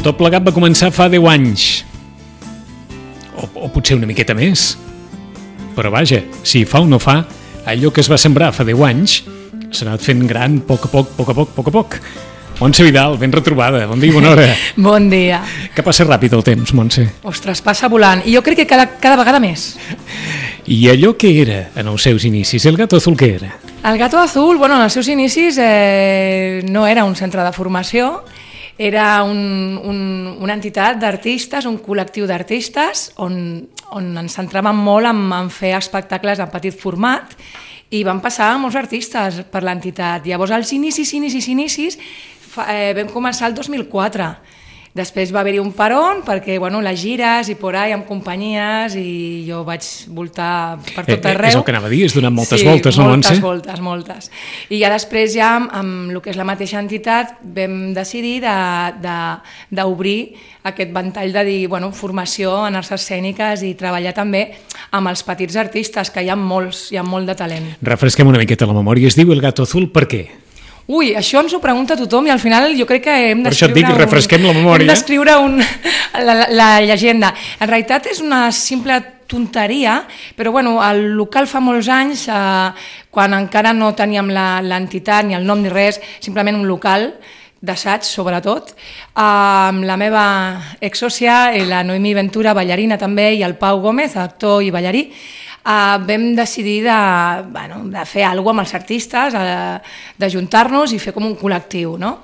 Tot plegat va començar fa 10 anys. O potser una miqueta més. Però vaja, si fa o no fa, allò que es va sembrar fa 10 anys s'ha anat fent gran a poc a poc. Montse Vidal, ben retrobada. Bon dia i bona hora. Bon dia. Que passa ràpid el temps, Montse. Ostres, passa volant. I jo crec que cada vegada més. I allò que era en els seus inicis, el Gato Azul què era? El Gato Azul, en els seus inicis no era un centre de formació, era una entitat d'artistes, un col·lectiu d'artistes on ens centràvem molt en fer espectacles en petit format i van passar molts artistes per l'entitat. Llavors, als inicis, vam començar el 2004. Després va haver-hi un peron perquè les gires i por ahí amb companyies i jo vaig voltar per tot arreu. És el que anava a dir, és donant moltes voltes, no, Montse? Sí, moltes. I ja després, amb el que és la mateixa entitat, vam decidir d'obrir aquest ventall de dir, formació en arts escèniques i treballar també amb els petits artistes, que hi ha molts, hi ha molt de talent. Refresquem una miqueta la memòria. Es diu El Gato Azul per què? Ui, això ens ho pregunta tothom i al final jo crec que hem d'escriure... Per això et dic, refresquem la memòria. Hem d'escriure la llegenda. En realitat és una simple tonteria, però el local fa molts anys, quan encara no teníem l'entitat ni el nom ni res, simplement un local d'assaig, sobretot, amb la meva exsòcia, la Noemí Ventura, ballarina també, i el Pau Gómez, actor i ballarí, vam decidir de fer alguna cosa amb els artistes, d'ajuntar-nos i fer com un col·lectiu, no?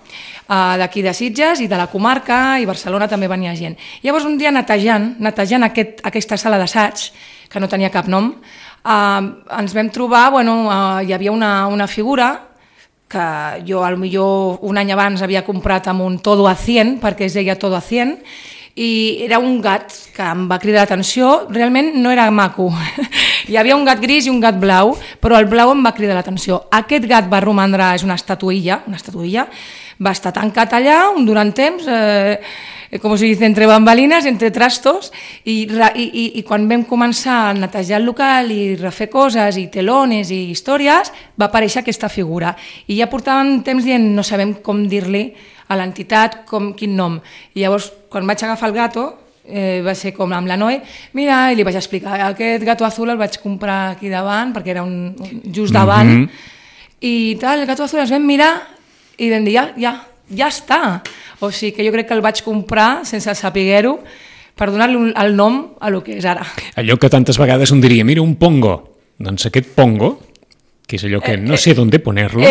D'aquí de Sitges i de la comarca, i Barcelona també venia gent. Llavors un dia netejant aquesta sala d'assaig, que no tenia cap nom, ens vam trobar, hi havia una figura que jo potser un any abans havia comprat amb un todo a 100, perquè es deia todo a 100, i era un gat que em va cridar l'atenció, realment no era maco. Hi havia un gat gris i un gat blau, però el blau em va cridar l'atenció. Aquest gat va romandre, és una estatuilla, va estar tancat allà durant temps, com se dice, entre bambalines, entre trastos, i quan vam començar a netejar el local i refer coses, i telones i històries, va aparèixer aquesta figura. I ja portàvem temps dient, no sabem com dir-li a l'entitat, quin nom. I llavors, quan vaig agafar el gato, va ser com amb la Noe, mira, i li vaig explicar, aquest Gato Azul el vaig comprar aquí davant, perquè era just davant, i tal, el Gato Azul ens vam mirar i vam dir, ja està. O sigui que jo crec que el vaig comprar sense saber-ho per donar-li el nom a lo que és ara. Allò que tantes vegades un diria, mira, un pongo. Doncs aquest pongo, que és allò que no sé d'on poner-lo,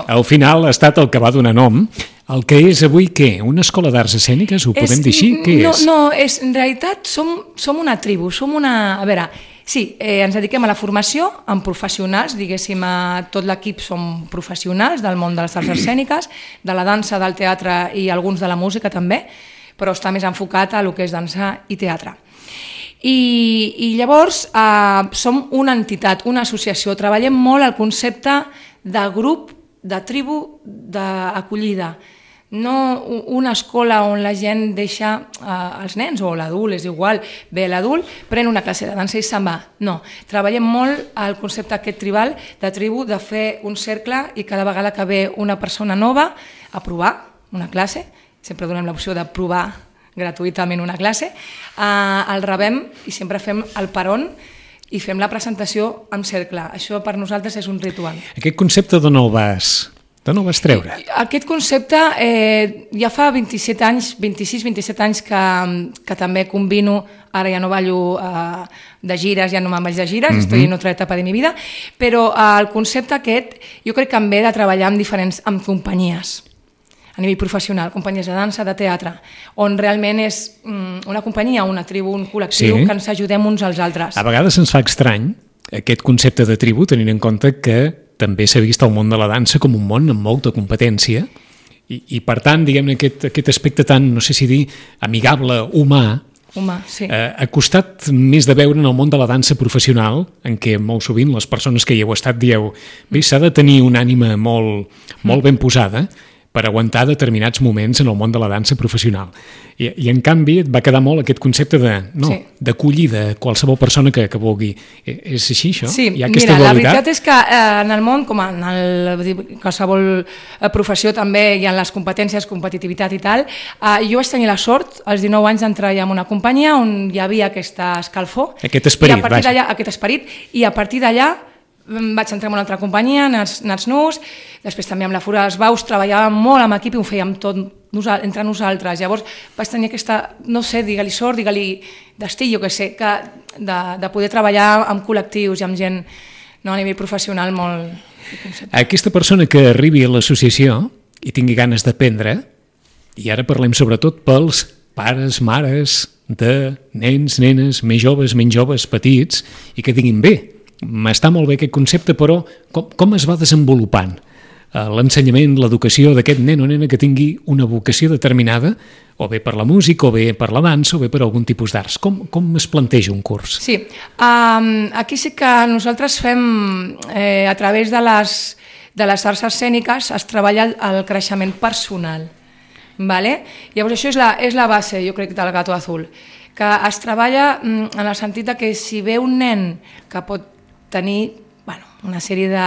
al final ha estat el que va donar nom. El que és avui, què? Una escola d'arts escèniques? Ho podem dir així? Què és? No, en realitat som una tribu, A veure, sí, ens dediquem a la formació amb professionals, diguéssim, tot l'equip som professionals del món de les arts escèniques, de la dansa, del teatre i alguns de la música també, però està més enfocat a el que és dansa i teatre. I llavors som una entitat, una associació, treballem molt el concepte de grup, de tribu, d'acollida. No una escola on la gent deixa els nens o l'adult, és igual, bé, l'adult pren una classe de dansa i se'n va. No, treballem molt el concepte aquest tribal, de tribu, de fer un cercle i cada vegada que ve una persona nova a provar una classe, sempre donem l'opció de provar gratuïtament una classe, el rebem i sempre fem el peron i fem la presentació en cercle. Això per nosaltres és un ritual. Aquest concepte d'on el vas treure? Aquest concepte ja fa 27 anys, 26-27 anys que també combino, ara ja no ballo de gires, ja no me'n vaig de gires, estoy en otra etapa de mi vida, però el concepte aquest jo crec que em ve de treballar amb companyies, a nivell professional, companyies de dansa, de teatre, on realment és una companyia, una tribu, un col·lectiu, que ens ajudem uns als altres. A vegades ens fa estrany aquest concepte de tribu, tenint en compte que també s'ha vist el món de la dansa com un món amb molta competència i per tant, diguem-ne, aquest aspecte tan, no sé si dir, amigable, humà, sí. Ha costat més de veure en el món de la dansa professional, en què molt sovint les persones que hi heu estat dieu, bé, s'ha de tenir una ànima molt ben posada, per aguantar determinats moments en el món de la dansa professional. I en canvi et va quedar molt aquest concepte d'acollida a qualsevol persona que vulgui. És així, això? Sí, hi ha aquesta mira, dualitat? la veritat és que en el món, com en qualsevol professió també hi ha les competències, competitivitat i tal, jo vaig tenir la sort als 19 anys d'entrar en una companyia on hi havia aquesta escalfor. Aquest esperit, aquest esperit, i a partir d'allà vaig entrar en una altra companyia, Nats Nus, després també amb la Fura dels Baus, treballàvem molt amb equip i ho fèiem tot entre nosaltres. Llavors vaig tenir aquesta, no sé, digue-li sort, digue-li destí, jo què sé, de poder treballar amb col·lectius i amb gent a nivell professional molt... Aquesta persona que arribi a l'associació i tingui ganes d'aprendre, i ara parlem sobretot pels pares, mares de nens, nenes, més joves, menys joves, petits, i que diguin bé, m'està molt bé aquest concepte, però com es va desenvolupant l'ensenyament, l'educació d'aquest nen o nena que tingui una vocació determinada, o bé per la música, o bé per la dansa, o bé per algun tipus d'arts? Com es planteja un curs? Sí, aquí sí que nosaltres fem, a través de les arts escèniques, es treballa el creixement personal. Vale? Llavors això és la base, jo crec, del Gato Azul, que es treballa en el sentit que si ve un nen que pot tenir una sèrie de...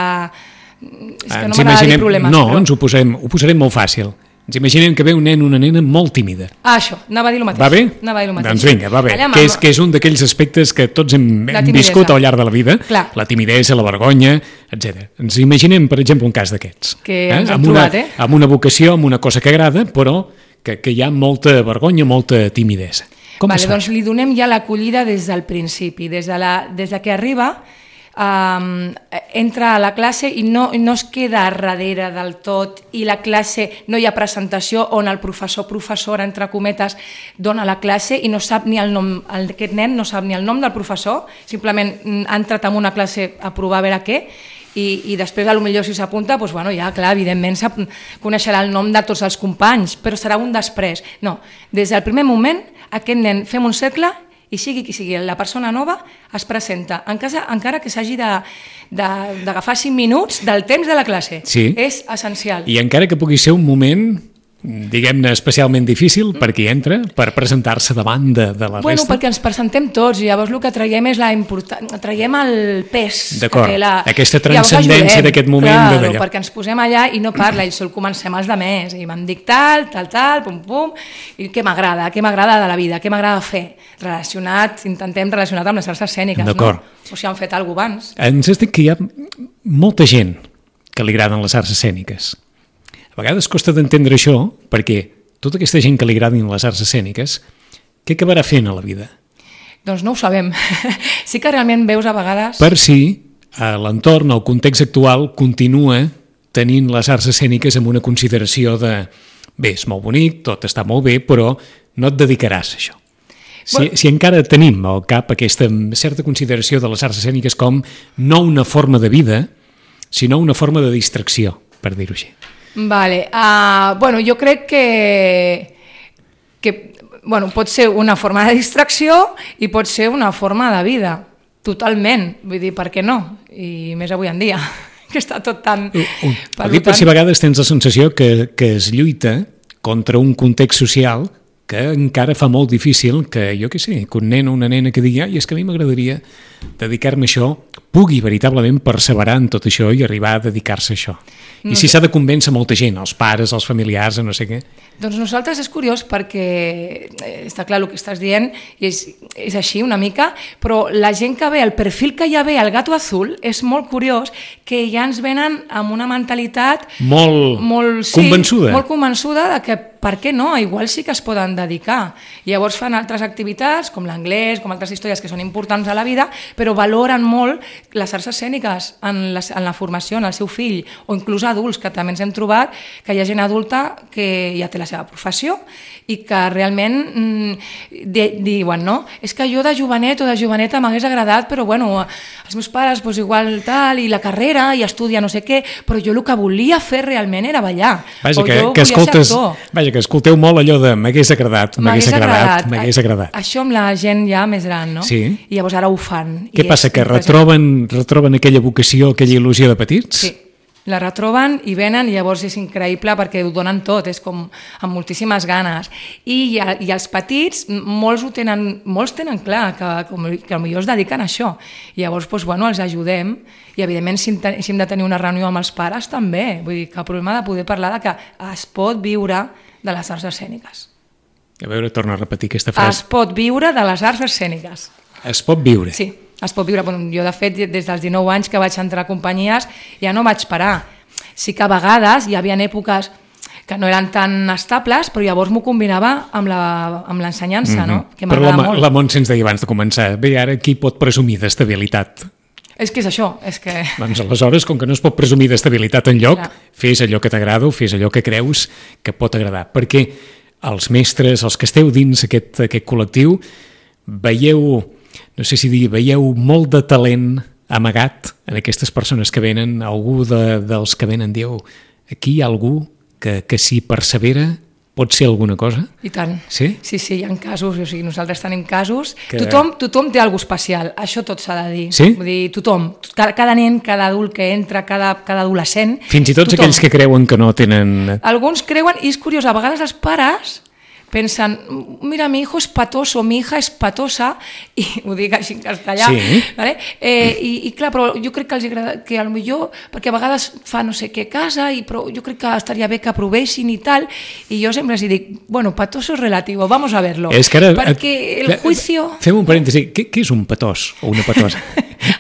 És que no m'agrada dir problemes. No, ens ho posarem molt fàcil. Ens imaginem que ve un nen o una nena molt tímida. Això, anava a dir el mateix. Va bé? Anava a dir el mateix. Doncs vinga, va bé. Que és un d'aquells aspectes que tots hem viscut al llarg de la vida. Clar. La timidesa, la vergonya, etc. Ens imaginem, per exemple, un cas d'aquests. Que ens hem trobat, amb una vocació, amb una cosa que agrada, però que hi ha molta vergonya, molta timidesa. Com es fa? Doncs li donem ja l'acollida des del principi, des de que arriba, entra a la classe i no es queda darrere del tot, i la classe no hi ha presentació on el professora, entre cometes, dona la classe i no sap ni el nom, aquest nen no sap ni el nom del professor, simplement ha entrat en una classe a provar a veure què, i després potser si s'apunta, doncs, ja clar, evidentment coneixerà el nom de tots els companys, però serà un després. No, des del primer moment aquest nen fem un cercle i sigui qui sigui la persona nova es presenta, encara que s'hagi d'agafar 5 minuts del temps de la classe. Sí. És essencial. I encara que pugui ser un moment, diguem-ne, especialment difícil per qui entra, per presentar-se davant de la resta. Perquè ens presentem tots, i llavors el que traiem és traiem el pes. D'acord, aquesta transcendència d'aquest moment. Claro, perquè ens posem allà i no parla, i sol comencem els demés, i me'n dic tal, pum, pum, i què m'agrada de la vida, què m'agrada fer, intentem relacionat amb les arts escèniques, no? O si han fet alguna cosa abans. Ens has dit que hi ha molta gent que li agraden les arts escèniques. A vegades costa d'entendre això, perquè tota aquesta gent que li agradin les arts escèniques, què acabarà fent a la vida? Doncs no ho sabem. Sí que realment veus a vegades... Per si l'entorn, el context actual, continua tenint les arts escèniques amb una consideració de bé, és molt bonic, tot està molt bé, però no et dedicaràs a això. Si encara tenim al cap aquesta certa consideració de les arts escèniques com no una forma de vida, sinó una forma de distracció, per dir-ho així. Vale. Jo crec que pot ser una forma de distracció i pot ser una forma de vida, totalment. Vull dir, per què no? I més avui en dia, que està tot tan... Ho dic per si a vegades tens la sensació que es lluita contra un context social que encara fa molt difícil que, jo què sé, que un nen o una nena que digui és que a mi m'agradaria dedicar-me a això, pugui veritablement perseverar en tot això i arribar a dedicar-se a això. I si s'ha de convèncer molta gent, els pares, els familiars, no sé què. Doncs nosaltres és curiós perquè està clar el que estàs dient, i és així una mica, però la gent que ve, el perfil que ja ve al Gato Azul és molt curiós, que ja ens venen amb una mentalitat molt convençuda. Molt convençuda de que per què no? Igual sí que es poden dedicar. Llavors fan altres activitats, com l'anglès, com altres històries que són importants a la vida, però valoren molt les arts escèniques en la formació, en el seu fill, o inclús adults, que també ens hem trobat que hi ha gent adulta que ja té la seva professió i que realment diuen, no? És que jo de jovenet o de joveneta m'hagués agradat, però bueno, els meus pares igual tal, i la carrera, i estudia no sé què, però jo el que volia fer realment era ballar. Vaja, que escolteu molt allò de m'hagués agradat. Això amb la gent ja més gran, no? Sí. I llavors ara ho fan. Què passa, que retroben aquella vocació, aquella il·lusió de petits? Sí. la retroben i venen, i llavors és increïble perquè ho donen tot, és com amb moltíssimes ganes. I els petits, molts tenen clar que potser es dediquen a això. I llavors els ajudem, i evidentment si hem de tenir una reunió amb els pares també, vull dir que el problema de poder parlar de que es pot viure de les arts escèniques. A veure, torna a repetir aquesta frase. Es pot viure de les arts escèniques. Es pot viure? Sí. Es pot viure. Jo, de fet, des dels 19 anys que vaig entrar a companyies, ja no vaig parar. Sí que a vegades hi havia èpoques que no eren tan estables, però llavors m'ho combinava amb l'ensenyança, no? Que però la Montse ens deia abans de començar, bé, ara qui pot presumir d'estabilitat? És que és això, és que... Doncs aleshores, com que no es pot presumir d'estabilitat enlloc, fes allò que t'agrada o fes allò que creus que pot agradar. Perquè els mestres, els que esteu dins aquest col·lectiu, veieu molt de talent amagat en aquestes persones que venen. Algú dels que venen diu, aquí hi ha algú que si persevera pot ser alguna cosa? I tant. Sí? Sí, hi ha casos, o sigui, nosaltres tenim casos. Tothom té alguna especial, això tot s'ha de dir. Sí? Vull dir, tothom, cada nen, cada adult que entra, cada adolescent... Fins i tot aquells que creuen que no tenen... Alguns creuen, i és curiós, a vegades els pares pensen, mira, mi hijo es patoso, mi hija es patosa, i ho dic així en castellà, sí. ¿vale? I clar, però jo crec que els agrada, que potser, perquè a vegades fa no sé què casa, però jo crec que estaria bé que aprovessin i tal, i jo sempre els dic, bueno, patoso es relativo, vamos a verlo. És que ara, perquè el juicio... Fem un parèntesi, què és un patós o una patosa?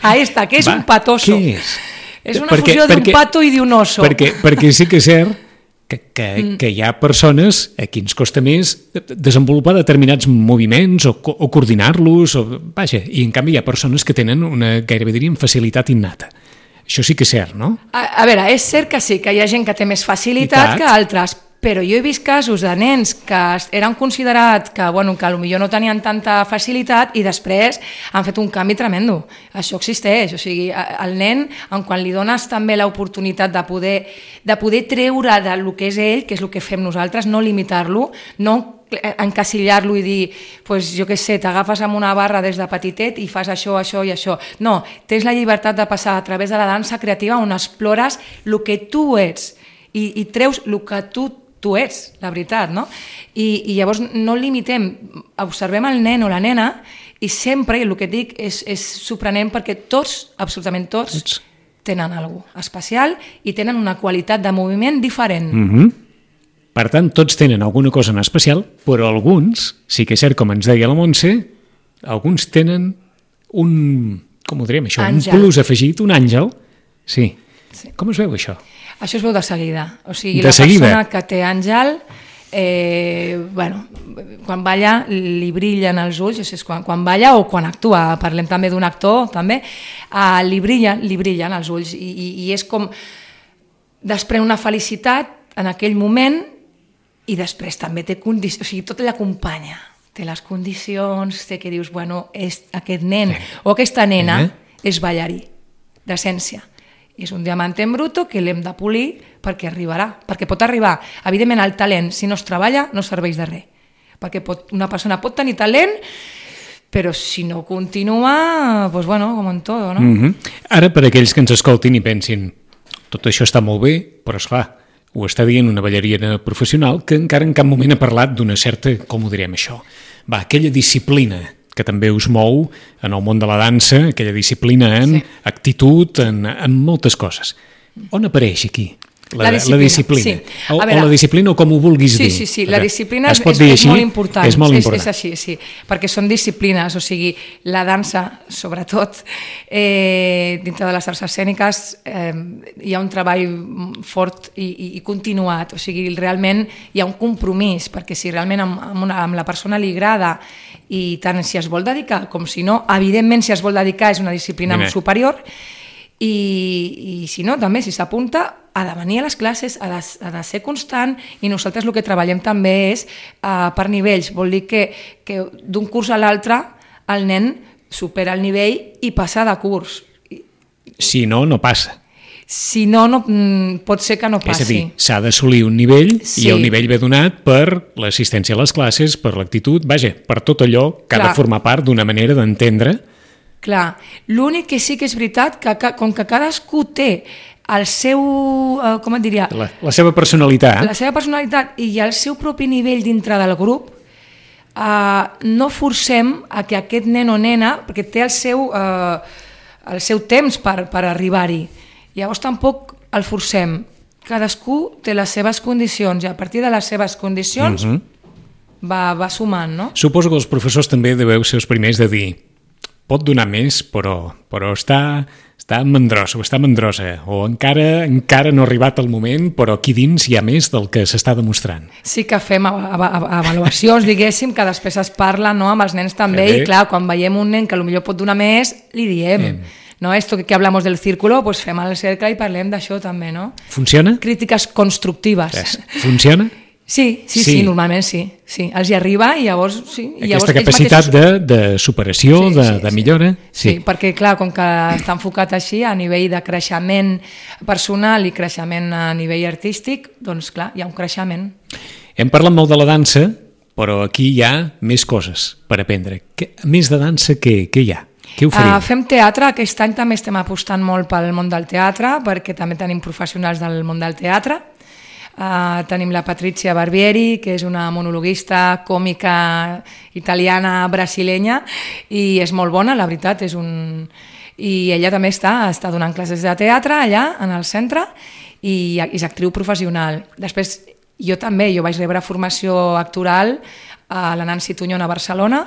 Ahí està, què és un patoso? Què és? És una fusió d'un pato i d'un oso. Perquè sí que és cert que hi ha persones a qui ens costa més desenvolupar determinats moviments o coordinar-los, vaja, i en canvi hi ha persones que tenen una, gairebé diríem, facilitat innata. Això sí que és cert, no? A veure, és cert que sí, que hi ha gent que té més facilitat que altres, però jo he vist casos de nens que eren considerats que potser no tenien tanta facilitat i després han fet un canvi tremendo. Això existeix, o sigui, el nen, quan li dones també l'oportunitat de poder treure del que és ell, que és el que fem nosaltres, no limitar-lo, no encasillar-lo i dir, pues, jo què sé, t'agafes amb una barra des de petitet i fas això, això i això. No, tens la llibertat de passar a través de la dansa creativa on explores el que tu ets i treus el que tu ets, la veritat, no? I llavors no limitem, observem el nen o la nena i sempre, el que dic, és sorprenent perquè tots, absolutament tots, tenen alguna cosa especial i tenen una qualitat de moviment diferent. Per tant, tots tenen alguna cosa en especial, però alguns, sí que és cert, com ens deia la Montse, alguns tenen un, com ho diríem això, un plus afegit, un àngel. Sí. Com es veu això? Això es veu de seguida. O sigui, la persona que té àngel, quan balla li brillen els ulls, és quan balla o quan actua, parlem també d'un actor, també, li brillen els ulls i és com després una felicitat en aquell moment i després també té condicions, o sigui, tot l'acompanya, té les condicions, té que dius, bueno, aquest nen o aquesta nena és ballarí, d'essència. És un diamant en bruto que l'hem de polir perquè arribarà, perquè pot arribar. Evidentment, el talent, si no es treballa, no serveix de res. Perquè una persona pot tenir talent, però si no continua, doncs bueno, com en tot, no? Ara, per aquells que ens escoltin i pensin, tot això està molt bé, però esclar, ho està dient una ballarina professional que encara en cap moment ha parlat d'una certa, com ho direm això, aquella disciplina que també us mou en el món de la dansa, aquella disciplina en actitud, en moltes coses. On apareix aquí la disciplina? Sí. O la disciplina, o com ho vulguis dir. Sí, la disciplina és molt important. És molt important. És així, sí, perquè són disciplines, o sigui, la dansa, sobretot, dintre de les arts escèniques, hi ha un treball fort i continuat, o sigui, realment hi ha un compromís, perquè si realment amb la persona li agrada i tant si es vol dedicar com si no, evidentment si es vol dedicar és una disciplina superior i si no, també si s'apunta ha de venir a les classes, ha de ser constant i nosaltres el que treballem també és per nivells, vol dir que d'un curs a l'altre el nen supera el nivell i passa de curs. Si no, no passa. Si no, pot ser que no passi. És a dir, s'ha d'assolir un nivell i el nivell ve donat per l'assistència a les classes, per l'actitud, vaja, per tot allò que ha de formar part d'una manera d'entendre. Clar, l'únic que sí que és veritat que com que cadascú té el seu, com et diria? La seva personalitat. La seva personalitat i el seu propi nivell dintre del grup, no forcem a que aquest nen o nena, perquè té el seu temps per arribar-hi, llavors tampoc el forcem. Cadascú té les seves condicions i a partir de les seves condicions va sumant, no? Suposo que els professors també deveu ser els primers de dir pot donar més, però està mandrosa o està mandrosa, o encara no ha arribat el moment, però aquí dins hi ha més del que s'està demostrant. Sí que fem avaluacions, diguéssim, que després es parla, no, amb els nens també, i clar, quan veiem un nen que potser pot donar més, li diem. ¿No? Esto que hablamos del círculo, pues fem el cercle i parlem d'això també, no? Funciona? Crítiques constructives. Funciona? Sí, normalment sí. Els hi arriba i llavors... Aquesta capacitat de superació, de millora. Sí, perquè clar, com que està enfocat així a nivell de creixement personal i creixement a nivell artístic, doncs clar, hi ha un creixement. Hem parlat molt de la dansa, però aquí hi ha més coses per aprendre. A més de dansa, què hi ha? Què oferim? Fem teatre, aquest any també estem apostant molt pel món del teatre, perquè també tenim professionals del món del teatre. Tenim la Patrizia Barbieri, que és una monologuista còmica italiana brasilenya i és molt bona, la veritat, i ella també està donant classes de teatre allà en el centre i és actriu professional. Després jo vaig rebre formació actoral a la Nancy Tuñón a Barcelona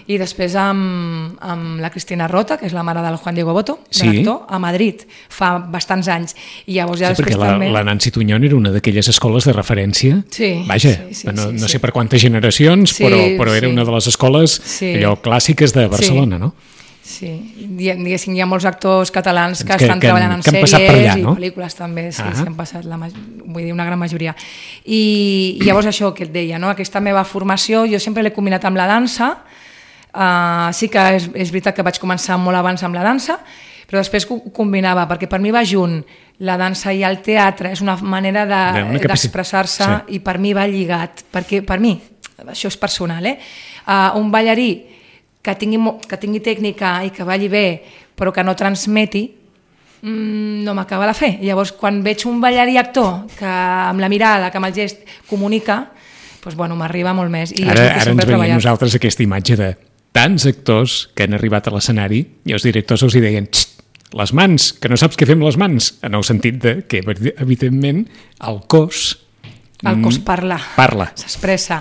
i després amb la Cristina Rota, que és la mare del Juan Diego Boto, l'actor, a Madrid, fa bastants anys. I llavors ja després també... la Nancy Tuñón era una d'aquelles escoles de referència. Vaja, no sé per quantes generacions, però era una de les escoles allò clàssiques de Barcelona, no? Sí, diguéssim, hi ha molts actors catalans que estan treballant en sèries allà, no? I pel·lícules també, han passat, vull dir, una gran majoria. I llavors això que et deia, no? Aquesta meva formació, jo sempre l'he combinat amb la dansa, sí que és veritat que vaig començar molt abans amb la dansa, però després ho combinava, perquè per mi va junt la dansa i el teatre, és una manera d'expressar-se i per mi va lligat, perquè per mi, això és personal, un ballarí que tingui tècnica i que balli bé, però que no transmeti, no m'acaba de fer. Llavors, quan veig un ballarí actor que amb la mirada, que amb el gest comunica, doncs, m'arriba molt més. Ara ens veiem nosaltres aquesta imatge de tants actors que han arribat a l'escenari i els directors els deien les mans, que no saps què fem les mans, en el sentit de que, evidentment, el cos parla, s'expressa.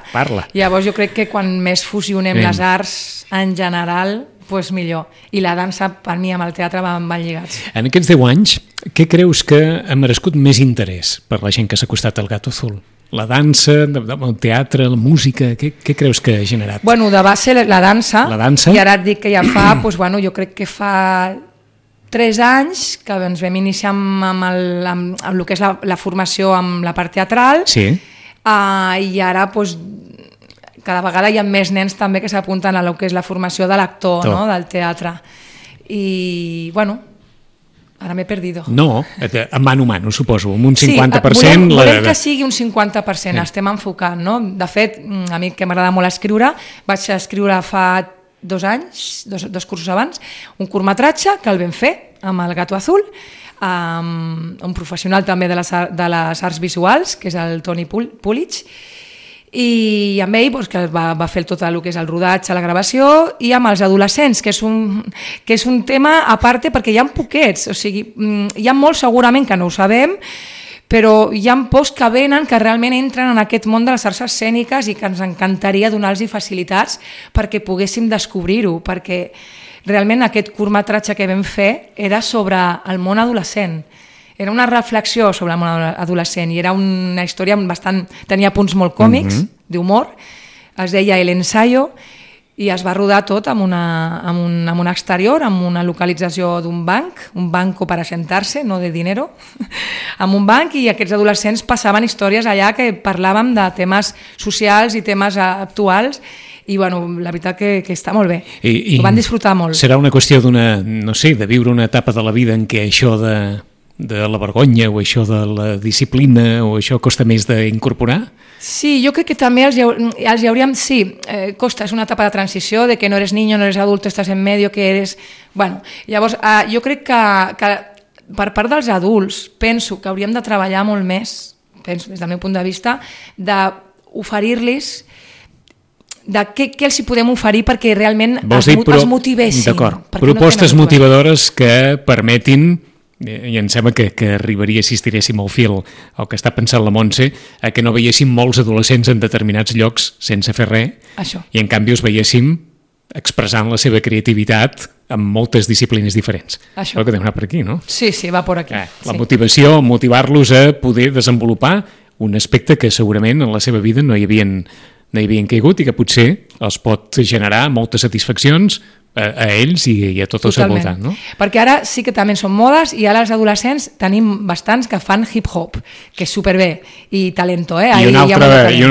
Llavors jo crec que quan més fusionem les arts en general, doncs millor. I la dansa, per mi, amb el teatre van lligats. En aquests 10 anys, què creus que ha merescut més interès per la gent que s'ha acostat al Gato Azul? La dansa, el teatre, la música, què creus que ha generat? De base la dansa, i ara et dic que ja fa, jo crec que fa 3 anys que ens vam iniciar amb el que és la formació amb la part teatral i ara cada vegada hi ha més nens també que s'apunten a el que és la formació de l'actor, del teatre. I, ara m'he perdido. No, a mano, suposo, amb un 50%... Volem que sigui un 50%, estem enfocant, no? De fet, a mi que m'agrada molt escriure, vaig escriure fa 2 anys, dos cursos abans, un curtmetratge que el vam fer amb el Gato Azul, un professional també de les arts visuals, que és el Toni Pulich, i amb ell que va fer tot el que és el rodatge, la gravació, i amb els adolescents, que és un tema a part perquè hi ha poquets, o sigui, hi ha molts segurament que no ho sabem, però hi ha pocs que venen que realment entren en aquest món de les arts escèniques i que ens encantaria donar-los facilitats perquè poguéssim descobrir-ho, perquè realment aquest curtmetratge que vam fer era sobre el món adolescent. Era una reflexió sobre el món adolescent i era una història tenia punts molt còmics, d'humor, es deia El Ensayo, i es va rodar tot en un exterior, en una localització d'un banc, un banco para sentarse, no de dinero, en un banc, i aquests adolescents passaven històries allà que parlàvem de temes socials i temes actuals, i la veritat que està molt bé. Ho van disfrutar molt. Serà una qüestió de viure una etapa de la vida en què això de la vergonya o això de la disciplina o això costa més d'incorporar? Sí, jo crec que també els hi hauríem... Sí, costa, és una etapa de transició, de que no eres niño, no eres adulto, estàs en medio, que eres... Llavors, jo crec que per part dels adults, penso que hauríem de treballar molt més, penso des del meu punt de vista, d'oferir-los de què els hi podem oferir perquè realment es motivessin. D'acord, propostes motivadores que permetin, i em sembla que arribaria, si estiréssim el fil el que està pensant la Montse, a que no veiéssim molts adolescents en determinats llocs sense fer res, i en canvi els veiéssim expressant la seva creativitat en moltes disciplines diferents. Això que deu anar per aquí, no? Sí, va per aquí. La motivació, motivar-los a poder desenvolupar un aspecte que segurament en la seva vida no hi havien caigut i que potser els pot generar moltes satisfaccions a ells i a tot el seu voltant, no? Perquè ara sí que també són modes i ara els adolescents tenim bastants que fan hip-hop, que és superbé, i talento, I una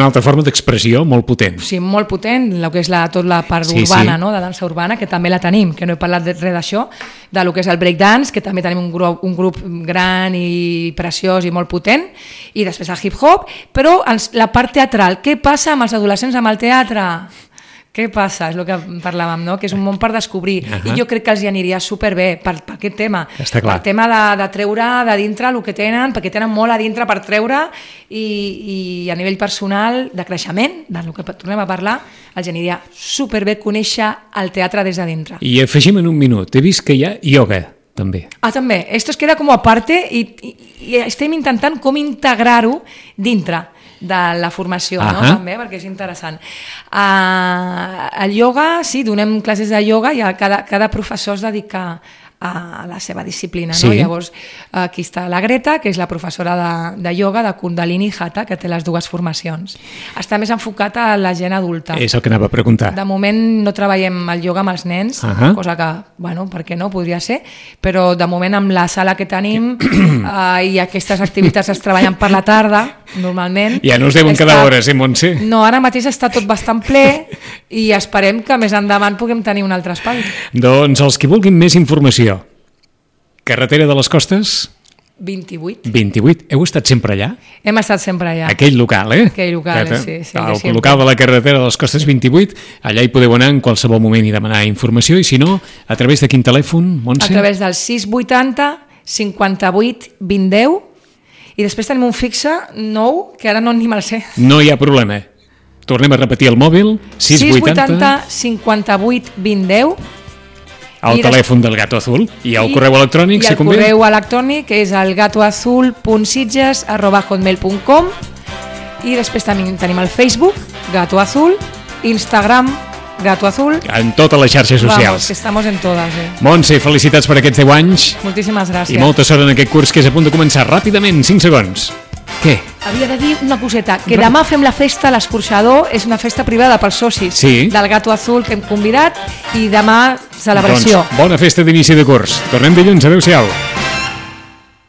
altra forma d'expressió molt potent. Sí, molt potent, el que és tota la part urbana, no? De dansa urbana, que també la tenim, que no he parlat res d'això, del que és el breakdance, que també tenim un grup gran i preciós i molt potent, i després el hip-hop, però la part teatral, què passa amb els adolescents amb el teatre? Què passa? És el que parlàvem, no? Que és un món per descobrir. I jo crec que els hi aniria superbé per aquest tema. Està clar. Per tema de treure de dintre el que tenen, perquè tenen molt a dintre per treure i a nivell personal, de creixement, del que tornem a parlar, els aniria superbé conèixer el teatre des de dintre. I afegim en un minut, he vist que hi ha ioga, també. També. Esto es queda com a parte i estem intentant com integrar-ho dintre de la formació, no? També, perquè és interessant. El ioga, sí, donem classes de ioga i cada professor es dedica a la seva disciplina, no? Llavors, aquí està la Greta, que és la professora de ioga de Kundalini Hatha, que té les dues formacions. Està més enfocat a la gent adulta. És el que anava a preguntar. De moment no treballem el ioga amb els nens, cosa que, bueno, per què no, podria ser, però de moment amb la sala que tenim i aquestes activitats es treballen per la tarda, normalment. Ja no us deuen quedar hores, Montse? No, ara mateix està tot bastant ple i esperem que més endavant puguem tenir un altre espai. Doncs els que vulguin més informació, Carretera de les Costes? 28. Heu estat sempre allà? Hem estat sempre allà. Aquell local, Aquell local, sí. El local de la Carretera de les Costes 28, allà hi podeu anar en qualsevol moment i demanar informació, i si no, a través de quin telèfon, Montse? A través del 680 58 20 10, i després tenim un fixe nou, que ara no ni me'l sé. No hi ha problema. Tornem a repetir el mòbil, 680 58 20 10, el telèfon del Gato Azul, i el correu electrònic, si convé. I el correu electrònic és el gatoazul.sitges@hotmail.com, i després tenim el Facebook, Gato Azul, Instagram, Gato Azul. En totes les xarxes socials. Vamos, que estamos en todas. Montse, felicitats per aquests 10 anys. Moltíssimes gràcies. I molta sort en aquest curs que és a punt de començar. Ràpidament, 5 segons. Què? Havia de dir una coseta, que demà fem la festa a l'Escorxador, és una festa privada pels socis del Gato Azul que hem convidat, i demà celebració. Doncs bona festa d'inici de curs. Tornem dilluns, adeu-siau.